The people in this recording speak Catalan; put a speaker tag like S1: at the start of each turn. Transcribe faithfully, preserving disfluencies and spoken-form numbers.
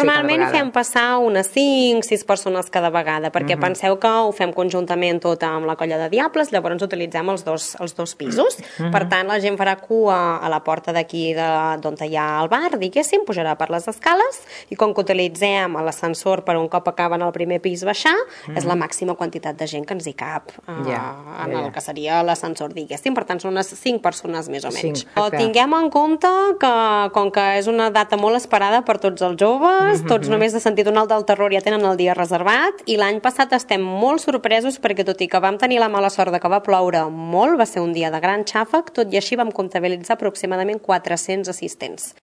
S1: Normalment fem passar unes cinc sis persones cada vegada, perquè
S2: Mhm.
S1: penseu que ho fem conjuntament tot amb la Colla de Diables, llavors utilitzem els dos, els dos pisos.
S2: Mhm.
S1: Per tant, la gent farà cua a la porta d'aquí de- d'on hi ha el bar, diguéssim, pujarà per les escales, i com que utilitzem l'ascensor per un cop acaben al primer pis baixar, és la màxima quantitat de gent que ens hi cap eh,
S2: Ja,
S1: en
S2: ja,
S1: el
S2: ja.
S1: que seria l'ascensor, diguéssim. Per tant, són unes cinc persones més o menys.
S2: Cinc,
S1: Però
S2: exacte.
S1: tinguem en compte que, com que és una data molt esperada per tots els joves, tots només de sentir un alt del terror ja tenen el dia reservat, i l'any passat estem molt sorpresos perquè, tot i que vam tenir la mala sort de que va ploure molt, va ser un dia de gran xàfec, tot i així vam comptabilitzar aproximadament quatre-cents assistents.